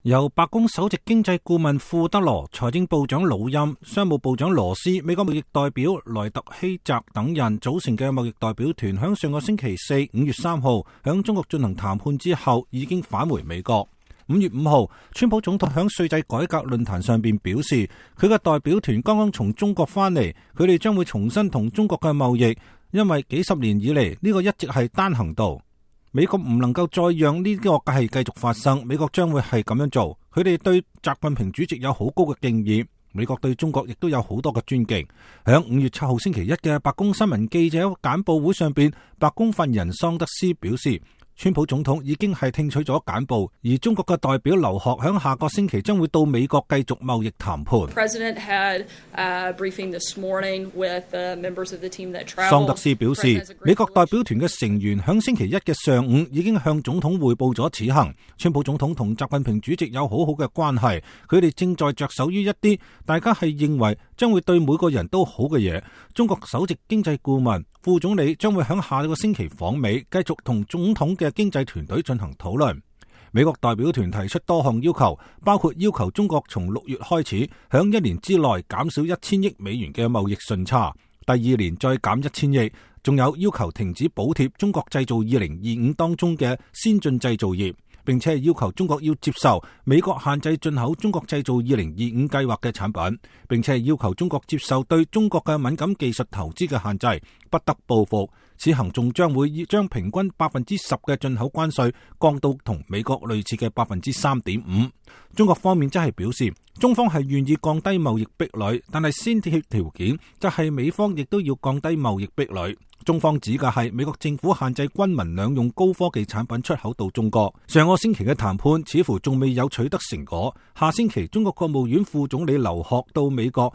由白宮首席經濟顧問庫德羅、財政部長魯欽、商務部長羅斯、美國貿易代表萊特希澤等人組成嘅貿易代表團，響上個星期四5月3號響中國進行談判之後，已經返回美國。5月5號，川普總統響稅制改革論壇上邊表示，佢嘅代表團剛剛從中國返嚟，佢哋將會重新同中國嘅貿易，因為幾十年以嚟呢個一直係單行道。美國唔能夠再讓呢個係繼續發生，美國將會係咁樣做。佢哋對習近平主席有好高嘅敬意，美國對中國亦都有好多嘅尊敬。響5月7號星期一嘅白宮新聞記者簡報會上邊，白宮發言人桑德斯表示，川普總統已經係聽取咗簡報，而中國嘅代表劉鶴響下個星期將會到美國繼續貿易談判。桑德斯表示，美國代表團嘅成員響星期一嘅上午已經向總統匯報咗此行。川普總統同習近平主席有好好嘅關係，佢哋正在着手於一啲大家係認為將會對每個人都好嘅嘢。中國首席經濟顧問、副總理將會響下個星期訪美，繼續同總統嘅經濟團隊進行討論。美國代表團提出多項要求，包括要求中國從6月開始，響1年之內減少1000億美元嘅貿易順差，第2年再減1000億，仲有要求停止補貼中國製造2025當中嘅先進製造業，並且要求中國要接受美國限制進口中國製造2025計劃嘅產品，並且要求中國接受對中國嘅敏感技術投資嘅限制，不得報復。此行仲將會將平均10%嘅進口關稅降到同美國類似嘅3.5%。中國方面則係表示，中方係願意降低貿易壁壘，但係先決條件就係美方亦都要降低貿易壁壘。中方指嘅係美國政府限制軍民兩用高科技產品出口到中國。上個星期嘅談判似乎仲未有取得成果。下星期中國國務院副總理劉鶴到美國，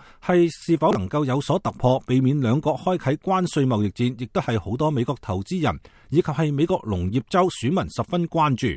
是否能夠有所突破，避免兩國開啟關稅貿易戰，亦都係好多美國投資人以及係美國農業州選民十分關注。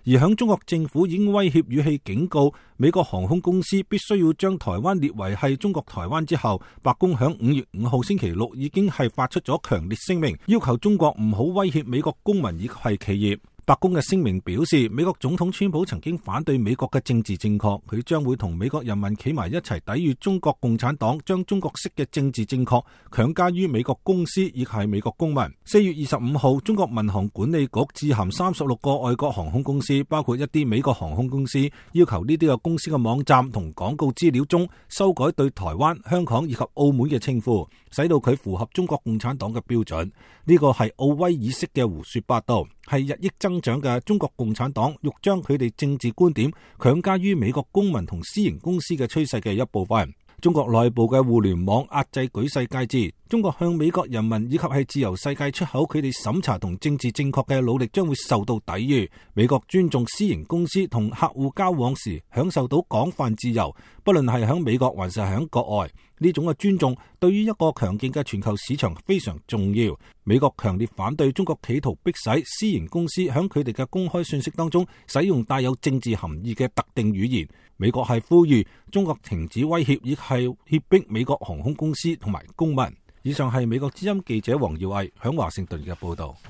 而響中國政府已經威脅語氣警告美國航空公司必須要將台灣列為係中國台灣之後，白宮響5月5號星期六已經係發出咗強烈聲明，要求中國唔好威脅美國公民以及係企業。白宮嘅聲明表示，美國總統川普曾經反對美國嘅政治正確，佢將會同美國人民企埋一齊抵禦中國共產黨將中國式嘅政治正確強加於美國公司以及係美國公民。4月25號，中國民航管理局致函36個外國航空公司，包括一啲美國航空公司，要求呢啲嘅公司嘅網站同廣告資料中修改對台灣、香港以及澳門嘅稱呼，使到佢符合中國共產黨嘅標準。呢個係奧威爾式嘅胡說八道，係日益增長嘅中國共產黨欲將佢哋政治觀點強加於美國公民同私營公司嘅趨勢嘅一部分。中國內部嘅互聯網壓制舉世皆知，中國向美國人民以及係自由世界出口佢哋審查同政治正確嘅努力將會受到抵禦。美國尊重私營公司同客戶交往時享受到廣泛自由，不論係喺美國還是喺國外。呢種嘅尊重對於一個強勁嘅全球市場非常重要。美國強烈反對中國企圖迫使私營公司喺佢哋嘅公開信息當中使用帶有政治含義嘅特定語言。美國係呼籲中國停止威脅，亦係脅迫美國航空公司同埋公民。以上係美國之音記者黃耀毅喺華盛頓嘅報道。